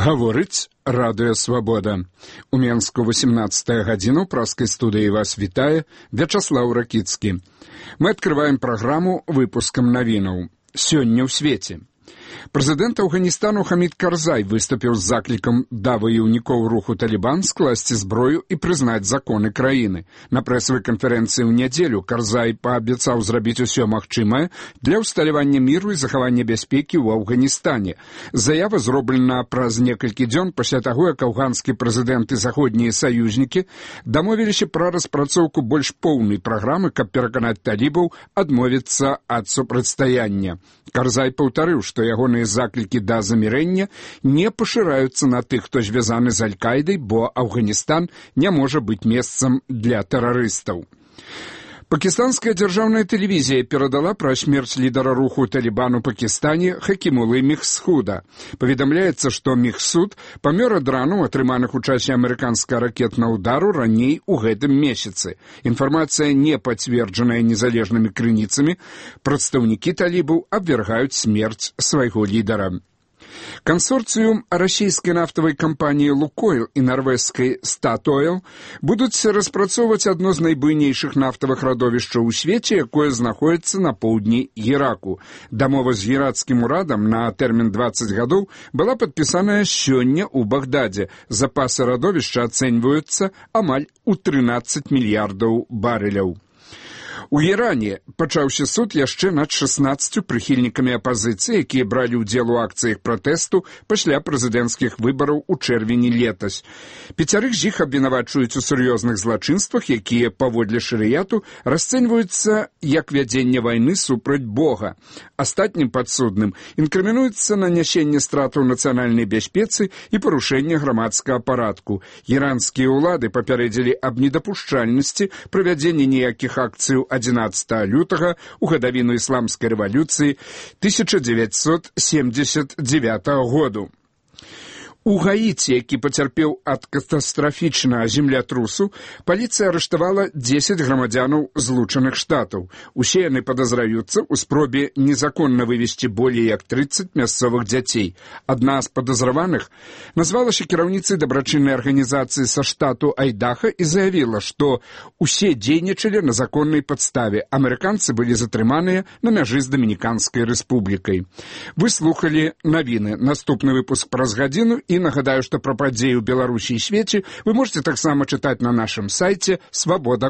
Гаворыць Радыё Свабода. У Менску 18 гадзіну праскай студыі вас вітае Вячаслаў Ракіцкі. Мы адкрываем праграму выпускам навінаў. Сёння ў свеце. Прэзідэнт Афганістану Хамід Карзай выступіў з заклікам да ваяўнікоў руху Талібан скласці зброю і прызнаць законы краіны. На прэсавай канферэнцыі ў нядзелю Карзай паабяцаў зрабіць усё магчымае для ўсталявання міру і захавання бяспекі ў Афганістане. Заява зроблена праз некалькі дзён пасля таго, як афганскі прэзідэнт і заходнія саюзнікі дамовіліся пра распрацоўку больш поўнай праграмы, каб пераканаць талібаў адмовіцца ад супрацьстаяння. Карзай паўтарыў, што ягоныя заклікі да замірэння не пашыраюцца на тых, хто звязаны з Аль-Кайдай, бо Афганістан не можа быць месцам для тэрарыстаў. Пакістанская дзяржаўная тэлевізія перадала пра смерць лідара руху Талібан у Пакістане Хакімулы Мехсуда. Паведамляецца, што Мехсуд памёр ад рану, атрыманых у часе амерыканскага ракетнага ўдару раней у гэтым месяцы. Інфармацыя не пацверджаная незалежнымі крыніцамі. Прадстаўнікі талібаў абвяргаюць смерць свайго лідара. Кансорцыум расійскай нафтавай кампаніі «Лукойл» і нарвежскай «Статойл» будуць распрацоўваць адно з найбуйнейшых нафтавых радовішчаў у свеце, якое знаходзіцца на поўдні Іраку. Дамова з іракскім урадам на тэрмін 20 гадоў была падпісаная сёння ў Багдадзе. Запасы радовішча ацэньваюцца амаль у 13 мільярдаў барэляў. У Іране пачаўся суд яшчэ над 16 прыхільнікамі апазіцыі, якія бралі ўдзел у акцыях пратэсту пасля прэзідэнцкіх выбараў у чэрвені летась. 5 з іх абвінавачваюць у сур'ёзных злачынствах, якія, паводле шарыяту, расцэньваюцца як вядзенне вайны супраць Бога. Астатнім падсудным інкрымінуецца нанясенне стратаў нацыянальнай бяспецы і парушэнне грамадскага парадку. Іранскія ўлады папярэдзілі аб недапушчальнасці правядзення ніякіх акцыяў 11 лютага у гадавіну ісламскай рэвалюцыі 1979 году. У Гаіці, які пацярпеў ад катастрафічнага землятрусу, паліцыя арыштавала 10 грамадзянаў Злучаных Штатаў. Усе яны падазраюцца ў спробе незаконна вывезці болей як 30 мясцовых дзяцей. Адна з падазраваных назвалася кіраўніцай дабрачыннай арганізацыі са штату Айдаха і заявіла, што усе дзейнічалі на законнай падставе. Амерыканцы былі затрыманыя на мяжы з Дамініканскай рэспублікай. Вы слухалі навіны. Наступны выпуск праз гадзіну. І нагадаю, што пра падзеі ў Беларусі і свеце вы можете таксама чытаць на нашым сайце «Свабода.